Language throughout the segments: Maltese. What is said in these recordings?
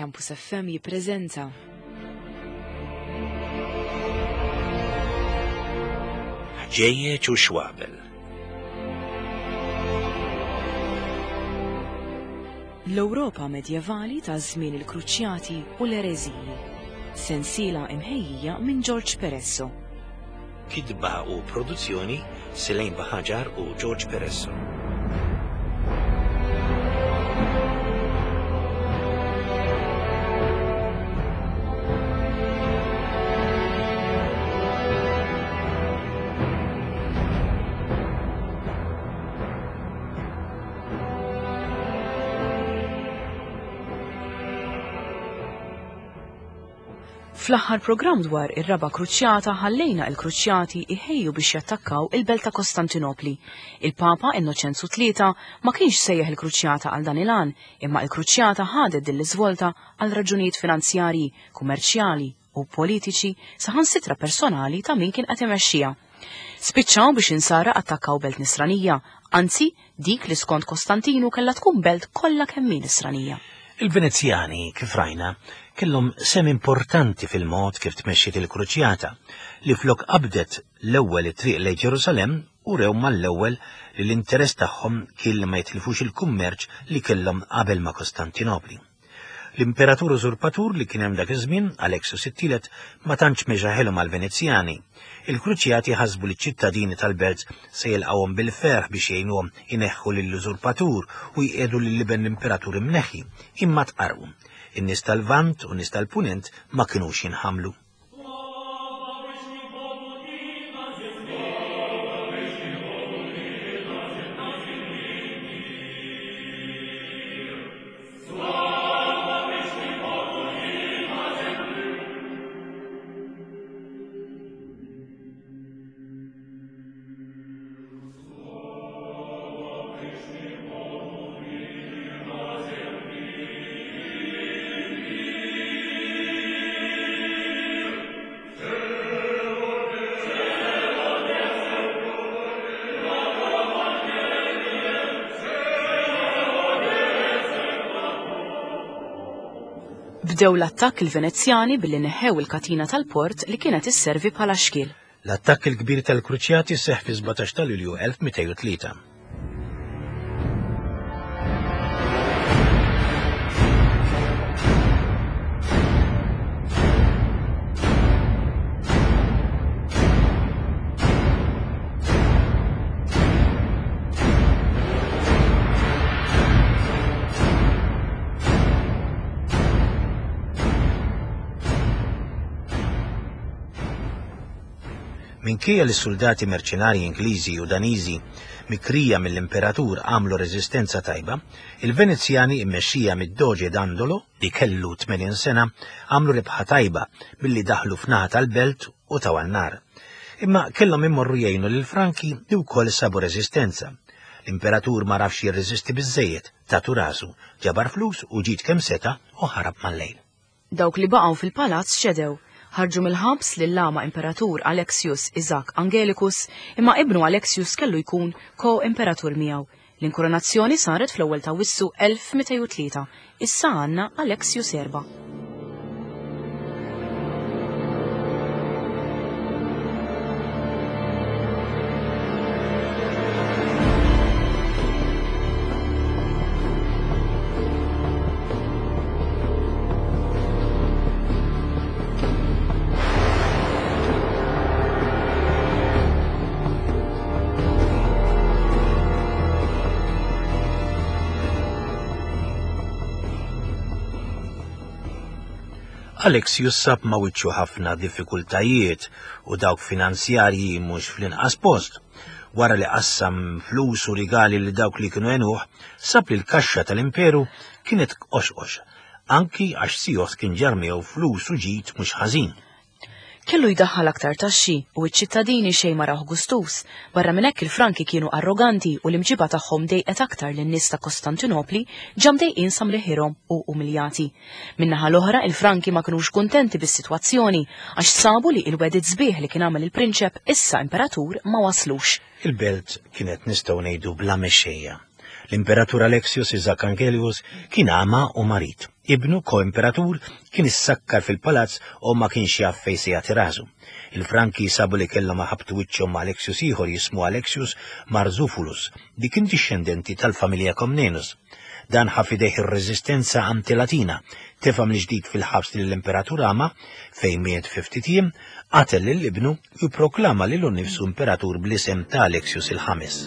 Campus FM jippreżenta. Ħġejjeġ u xwabel. L-Ewropa medjevali ta' żmien il-Kruċjati u l-Ereżiji. Sensiela imħejjija minn George Peresso. Kitba u produzzjoni Selain Baħaġar u George Peresso. Fl-aħħar programm dwar ir-Raba' Kruċjata ħallejna il-Kruċjati iħejju biex jattakkaw il-belt ta' Kostantinopli. Il-Papa Innoċenzu Tlieta ma kienx sejjaħ il-Kruċjata għal dan il-għan, imma il-Kruċjata ħadet din l-iżvolta għal raġunijiet finanzjarji, kummerċjali u politiċi saħansitra personali ta' min kien qed imexxiha. Spiċċaw biex insara attakkaw belt nisranija, anzi dik li skont Kostantinu kellha tkun belt kollha kemm hi nisranija. Il-Venezjani, kif rajna, kellhom sehem importanti fil-mod kif tmexxiet il-Kruċjata, li flok qabdet l-ewwel it-triq lejn Ġerusalemm urew mal-ewwel li l-interess tagħhom kien li ma jitilfux il-kummerċ li kellhom qabel ma' Kostantinopli. L-imperatur użurpatur li kien hemm dak iż-żmien, Alexius it-Tielet, ma tantx mexa ħelu mal-Venezjani. Il-Kruċjati ħasbu li ċ-ċittadini tal-belt se jilqgħuhom bil-ferħ biex jgħinuhom ineħħu lill-użurpatur u jqiegħdu lil iben l-imperatur imneħħi, imma tqarrqu. In-nies tal-Lvant u n-nies tal-Punent ma kinux jinħamlu. Bdew l-attakk il-Venezjani billi neħħew il-katina tal-port li kienet isservi bħala xkiel. L-attakk il-kbir tal-Kruċjati seħħ fi-17 ta' Lulju 1203. Minkejja li s-suldati merċenarji Ingliżi u Daniżi mikrija mill-imperatur għamlu reżistenza tajba, il-Venezjani immexxija mid-Doge Dandolo, li kellu 80 sena, għamlu rebħa tajba billi daħlu f'naħa tal-belt u taw għan-nar. Imma kellhom immorru jgħinu lill-Franki li wkoll sabu reżistenza. L-imperatur ma rafx jirreżisti biżżejjed, tatu rasu, ġabar flus u ġid kemm seta' u ħarab mal-lejl. Dawk li baqgħu fil-palazz ċedew. Ħarġu mill-ħabs lill-agħma imperatur Alexius Isaac Angelicus, imma ibnu Alexius kellu jkun ko-imperatur miegħu. L-inkoronazzjoni saret fl-ewwel ta' Awwissu 1203. Issa għandna Alexius Erba'. Alexius sab ma' wiċċu ħafna diffikultajiet u dawk finanzjarji mhux fl-inqas post. Wara li qassam flus u rigali li dawk li kienu għenuh, sab li l-kaxxa tal-imperu kienet qoxqox, anki għax Sios kien ġarr miegħu flus u ġid mhux ħażin. Kellu jdaħħal aktar taxxi u ċ-ċittadini xejn ma rawh gustuż. Barra minn hekk il-Franki kienu arroganti u l-imġiba tagħhom dejqet aktar lin-nies ta' Kostantinopli ġa mdejqin sa mreħirhom u umiljati. Min-naħa l-oħra il-Franki ma kinux kuntenti bis-sitwazzjoni għax sabu li il-wegħdiet sbieħ li kien għamel il-prinċep issa imperatur ma waslux. Il-belt kienet nistgħu ngħidu bla mexxejja. L-Imperatur Alexius Isaac Angelius kien għama u marid. Ibnu, ko-imperatur, kien issakkar fil-palazz u ma kienx jaf fejn se jagħti rasu. Il-Franki sabu li kellhom iħabbtu wiċċhom ma' Alexius ieħor jismu Alexius Marzufulus, li kien dixxendenti tal-familja Komnenus. Dan ħa f'idejh ir-reżistenza anti-Latina, tefa' mill-ġdid fil-ħabs lill-Imperatur Ama, fejn miet fi ftit jiem, qatel lil ibnu u pproklama lilu nnifsu imperatur bl-isem ta' Alexius il-Ħames.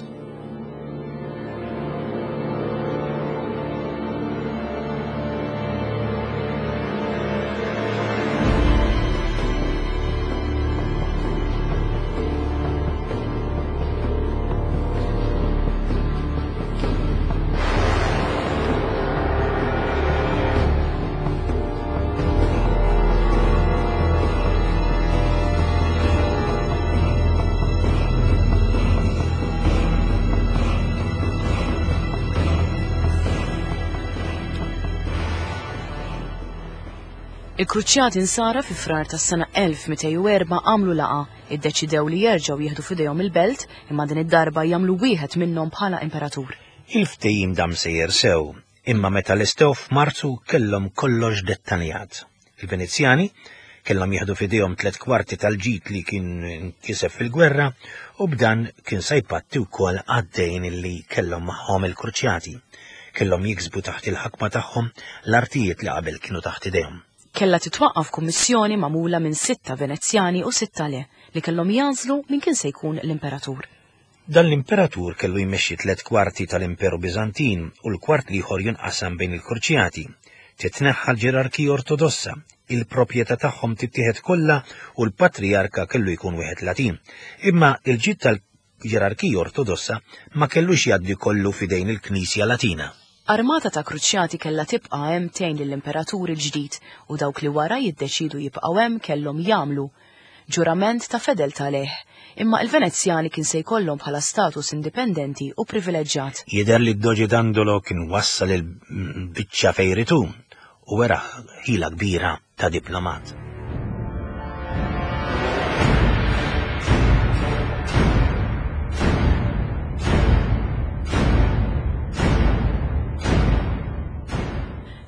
Il-Kruċjati Nsara fi Frar tas-sena 1204 għamlu laqgħa, iddeċidew li jerġgħu jieħdu f'idejhom il-belt, imma din id-darba jagħmlu wieħed minnhom bħala imperatur. Il-ftehim dam sejjer sew, imma meta lestew f'Marzu kellhom kollox dettaljat. Il-Venezjani kellhom jieħdu f'idejhom tlet kwarti tal-ġid li kien nkiseb fil-gwerra u b'dan kien sa jpatti wkoll għad-dejn li kellhom magħhom il-Kruċjati. Kellhom jiksbu taħt il-ħakma tagħhom l-artijiet li qabel kienu taħt idejhom. Kellha titwaqqaf kummissjoni magħmula minn sitta Venezjani u sitta le, li kellhom jagħżlu min kien se jkun l-imperatur. Dan l-imperatur kellu jmexxi tliet kwarti tal-Imperu Biżantin u l-kwart l-ieħor jinqasam bejn il-Kruċjati. Titneħħa l-ġerarkija Ortodossa, il-proprjetà tagħhom tittieħed kollha u l-patrijarka kellu jkun wieħed Latin. Imma l-ġid tal-ġerarkija Ortodossa ma kellux jgħaddi kollu f'idejn il-Knisja Latina. Armata ta' Kruċjati kellha tibqa' hemm tgħin lill-imperatur il-ġdid u dawk li wara jiddeċiedu jibqgħu hemm kellhom jagħmlu ġurament ta' fedeltà lejh, imma il-Venezjani kien se jkollhom bħala status indipendenti u privileġġjat. Jidher li d-Doge Dandolo kien wassal il-biċċa fejn ried hu u wera ħila kbira ta' diplomat.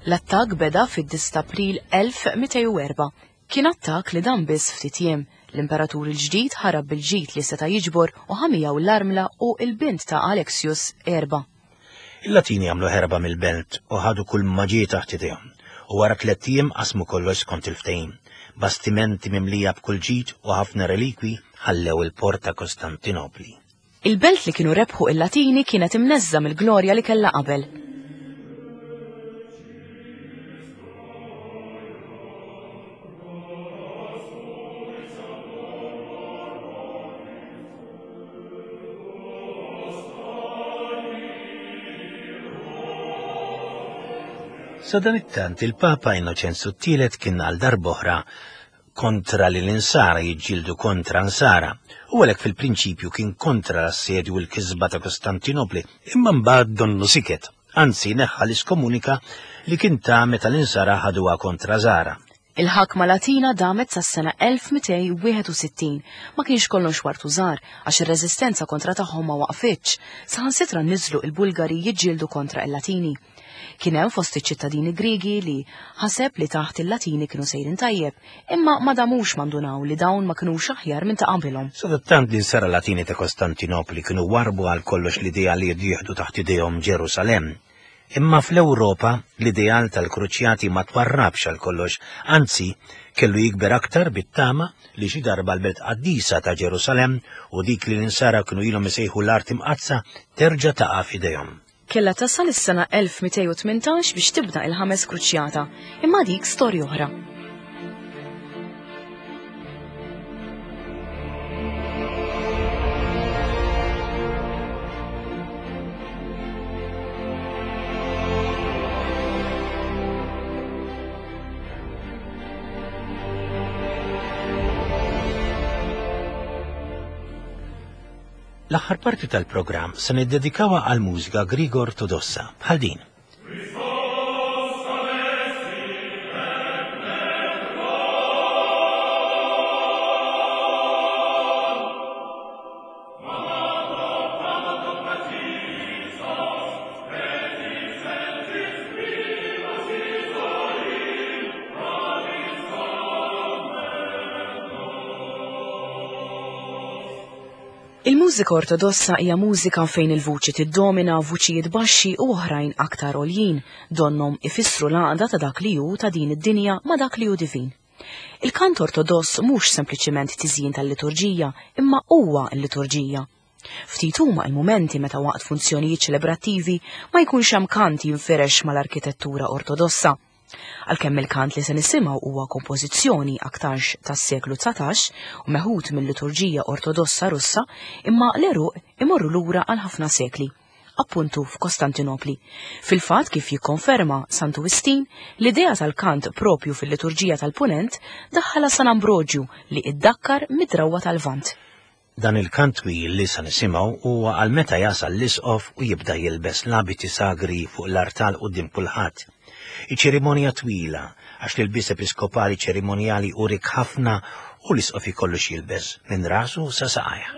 L-attakk beda fid-9 t'April 1204. Kien attakk li dam biss ftit jiem. L-imperatur il-ġdid ħarab bil-ġid li seta' jiġbor u ħa miegħu l-armla u l-bint ta' Alexius Erba. Il-Latini għamlu ħerba mill-belt u ħadu kull ma ġie taħt idejhom, u wara tlett ijiem qasmu kollox skont il-ftehim. Bastimenti mimlija b'kull ġid u ħafna relikwi ħallew il-port ta' Kostantinopli. Il-belt li kienu rebħu il-Latini kienet imneżża' mill-glorja li kellha qabel. Sadanittant il-Papa Innoċenzu t-Tielet kien għal darb'oħra kontra li l-Insara jiġġieldu kontra Nsara, u għalhekk fil-prinċipju kien kontra l-assedju u l-kisba ta' Kostantinopli, imma mbagħad donnu siket, anzi neħħa l-iskomunika li kien ta meta l-Insara ħaduha kontra Zara. Il-ħakma Latina damet sas-sena 1261. Ma kienx kollox wartu żgħar, għax ir-reżistenza kontra tagħhom ma waqfitx, saħansitra niżlu il-Bulgari jiġġieldu kontra il-Latini. Kien hemm fost iċ-ċittadini Griegi li ħaseb li taħt il-Latini kienu sejrin tajjeb, imma ma damux ma ndunaw li dawn ma kinux aħjar minn ta' qabilhom. Sadattant l-insara Latini ta' Kostantinopli kienu warrbu għal kollox l-idea li jieħdu taħt idejhom Ġerusalemm. Imma fl-Ewropa l-ideal tal-Kruċjati ma twarrabx għal kollox, anzi kellu jikber aktar bit-tama li xi darba l-belt qaddisa ta' Ġerusalemm u dik li l-insara kienu ilhom isejħu l-Art Imqaddsa terġa' taqa' f'idejhom. Kellha tasal is-sena 1218 biex tibda il-ħames kruċjata, imma dik storja oħra. L-aħħar parti tal-programm se niddedikawha għal mużika Griega Ortodossa bħal din. Il-mużika Ortodossa hija mużika fejn il-vuċi tiddomina, vuċijiet baxxi u oħrajn aktar għoljin, donnhom ifissru l-għaqda ta' dak li hu ta' din id-dinja ma' dak li hu divin. Il-kant Ortodoss mhux sempliċiment tiżjin tal-liturġija, imma huwa l-liturġija. Ftit huma l-mumenti meta waqt funzjonijiet ċelebrattivi ma jkunx hemm kant jinfirex mal-arkitettura Ortodossa. Għalkemm il-kant li se nisimgħu huwa kompożizzjoni aktarx tas-seklu 19 u meħud mill-liturġija Ortodossa Russa, imma l-għeruq imorru lura għal ħafna sekli, appuntu f'Kostantinopli. Fil-fatt kif jikkonferma Santu Wistin, l-idea tal-kant propju fil-liturġija tal-Punent daħħalha San Ambroġju li iddakkar mid-drawwa tal-Lvant. Dan il-kant twil li sa nisimgħu huwa għal meta jasal l-isqof u jibda jilbes l-abiti sagri fuq l-artal quddiem kulħadd. Hi ċerimonja twila, għax l-ilbies episkopali ċerimonjali hu rikk ħafna u l-isqof ikollu x'jilbes minn rasu sa saqajh.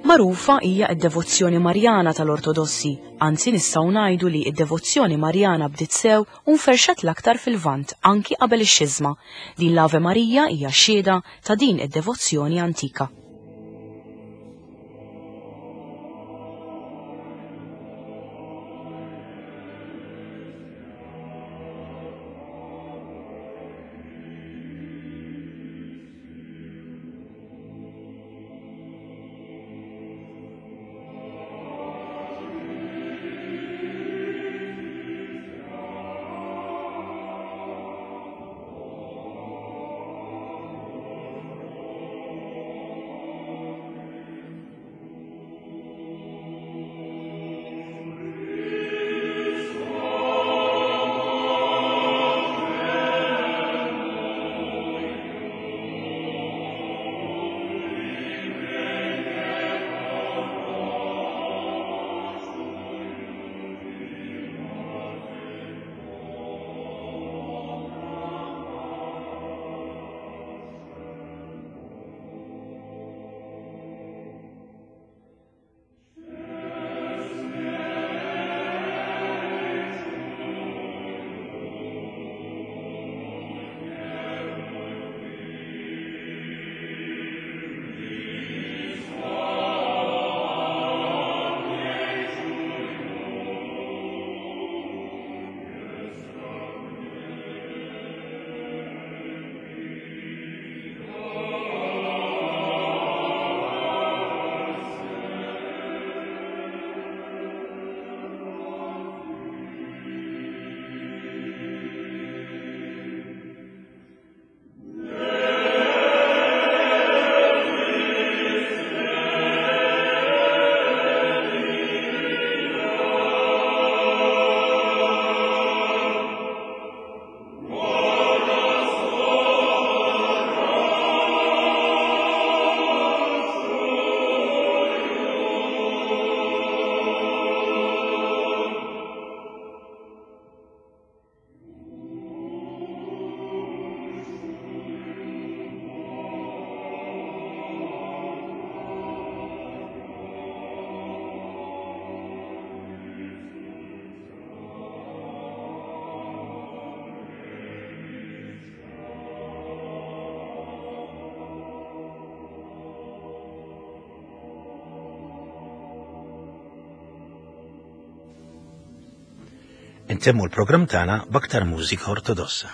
Magħrufa hija d-devozzjoni Marjana tal-Ortodossi, anzi nistgħu ngħidu li d-devozzjoni Marjana bdiet sew u nferxet l-aktar fil-Lvant anki qabel ix-Xiżma. Din l-Ave Marija hija xhieda ta' din id-devozzjoni antika. Intemmu l-programm tagħna b'aktar mużika ortodossa.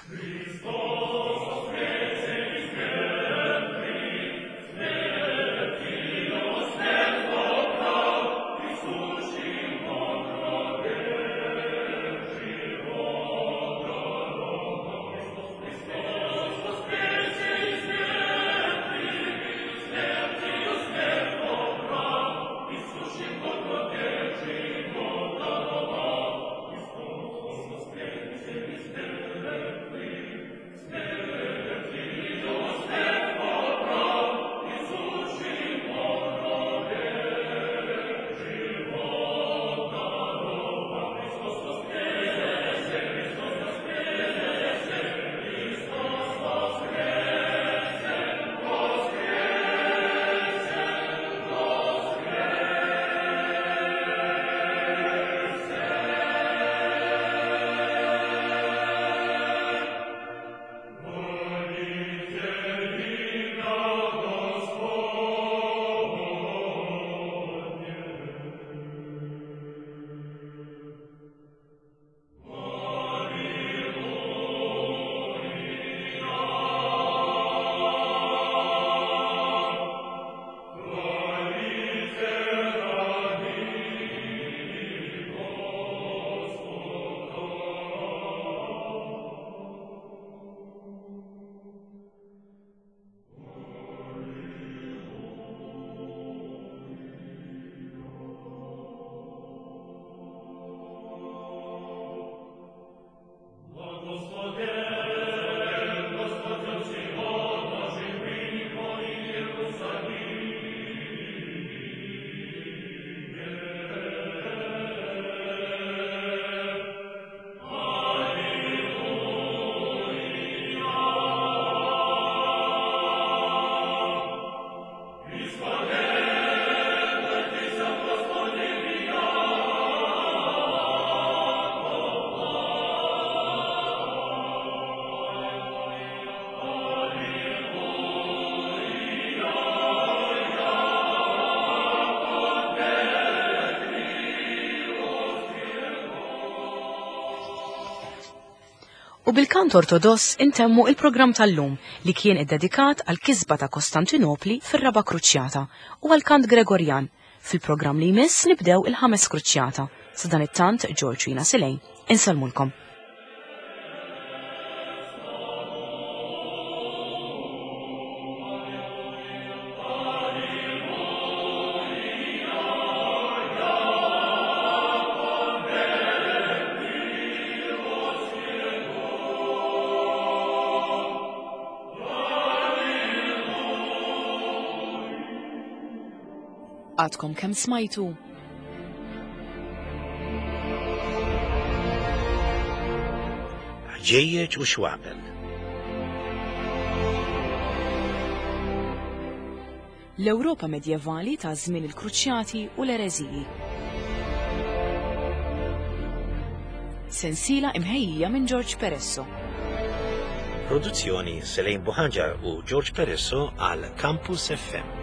U bil-kant Ortodoss intemmu il-programm tal-lum li kien iddedikat għall-kisba ta' Kostantinopli fir-Raba' Kruċjata u għall-kant Gregorjan. Fil-programm li jmiss nibdew il-Ħames Kruċjata. Sadanittant George u jiena Silej insellmulkom. Għadkom kemm smajtu? Ħġejjeġ u xwabel. L-Ewropa Medjevali ta' żmien il-Kruċjati u l-Ereżiji. Sensiela imħejjija minn George Peresso. Produzzjoni Selene Buhaġar u George Peresso għal Campus FM.